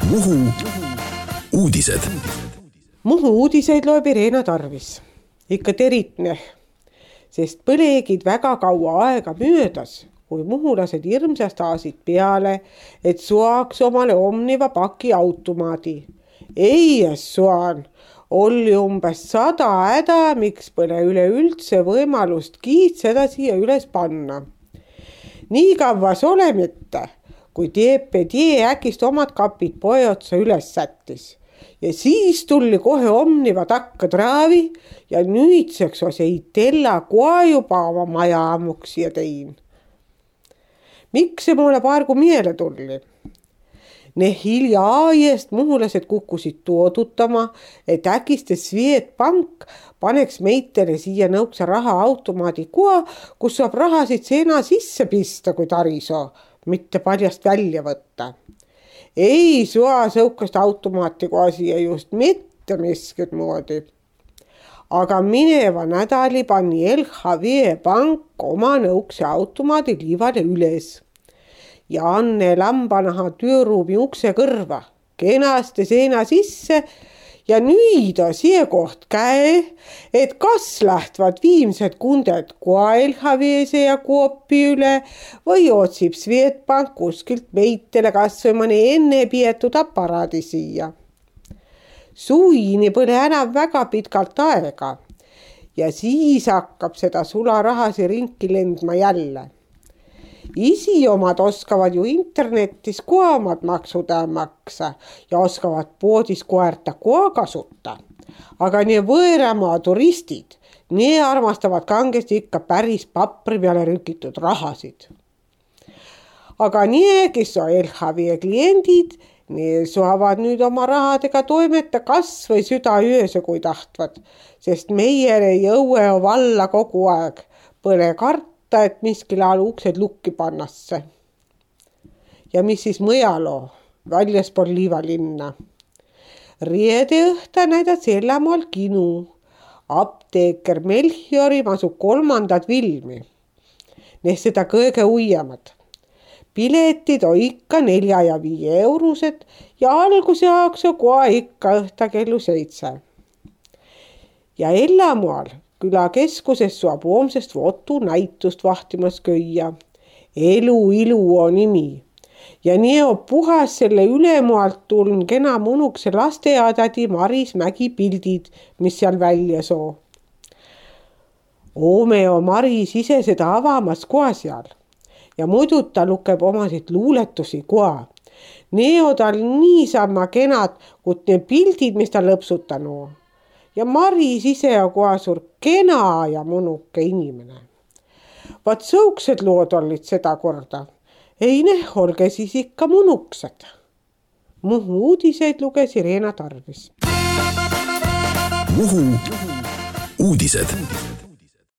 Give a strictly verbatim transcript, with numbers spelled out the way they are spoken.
Muhu uudised. Muhu uudiseid loeb Irena Tarvis. Ikka teritne, sest põlegid väga kaua aega möödas, kui muhulased hirmsast aasid peale, et suaks omale omniva paki automaadi. Ei, suan, oli umbes sada häda, miks põle üleüldse võimalust kiitseda siia üles panna. Nii kavas ole mitte, kui D P D äkist omad kapid poe otsa üles sättis. Ja siis tulli kohe omniva takka traavi ja nüüdseks os ei tella koa juba oma maja ammuksi ja tein. Miks see mulle paargu miele tulli? Ne hilja aiest muhulased kukkusid tuodutama, et äkiste Swedbank paneks meitele siia nõuksa raha automaadi koa, kus saab rahasid seena sisse pista, kui tariso, mitte paljast välja võtta. Ei sua sõukast automaati koha siia just mitte miskid moodi. Aga mineva nädali pani L H V Bank oma nõukse automaadi liivale üles. Ja Anne Lambanaha tööruumi ukse kõrva, kenasti seena sisse ja nüüd on siia koht käe, et kas lähtvad viimsed kunded koa L H V-se ja Koopi üle või otsib Swedbank kuskilt meitele kas või mõne enne pietud aparaadi siia. Suini põle enam väga pitkalt aega ja siis hakkab seda sularahasi ringi lendma jälle. Isi omad oskavad ju internetis koa omad maksud maksa ja oskavad poodis koerta koa kasuta. Aga nii võõramaa turistid, nii armastavad kangesti ikka päris papri peale rükitud rahasid. Aga nii, kes on L H V kliendid, nii saavad nüüd oma rahadega toimeta kas või süda ööse, kui tahtvad, sest meile jõue valla kogu aeg põle karta, et miskil ajal uksed lukki pannasse. Ja mis siis mõjalo, väljaspool Liivalinna. Riede õhta näidad Sellamoal kinu. Apteeker Melchiori masu kolmandad filmi. Need seda kõige uiemad. Piletid on ikka nelja ja viie eurused ja alguse jaoks on koha ikka õhta kellu seitse. Ja Ellamoal küla keskuses saab hoomsest Votu näitust vahtimas köia. Elu ilu on nimi. Ja nii on puhas selle ülemoalt tulnud kena munukse lasteaadadi Maris Mägi pildid, mis seal välja soo. Oome on Maris ise seda avamas koha seal. Ja muidu ta lukeb omasid luuletusi koha. Need on tal niisama kenad, kui need pildid, mis ta lõpsutanu. Ja Maris ise on koha suur kena ja munuke inimene. Vaat sõuksed lood olid seda korda. Ei ne, olge siis ikka munuksed. Muhu uudiseid luges Irena Tarvis. Muhu uudised.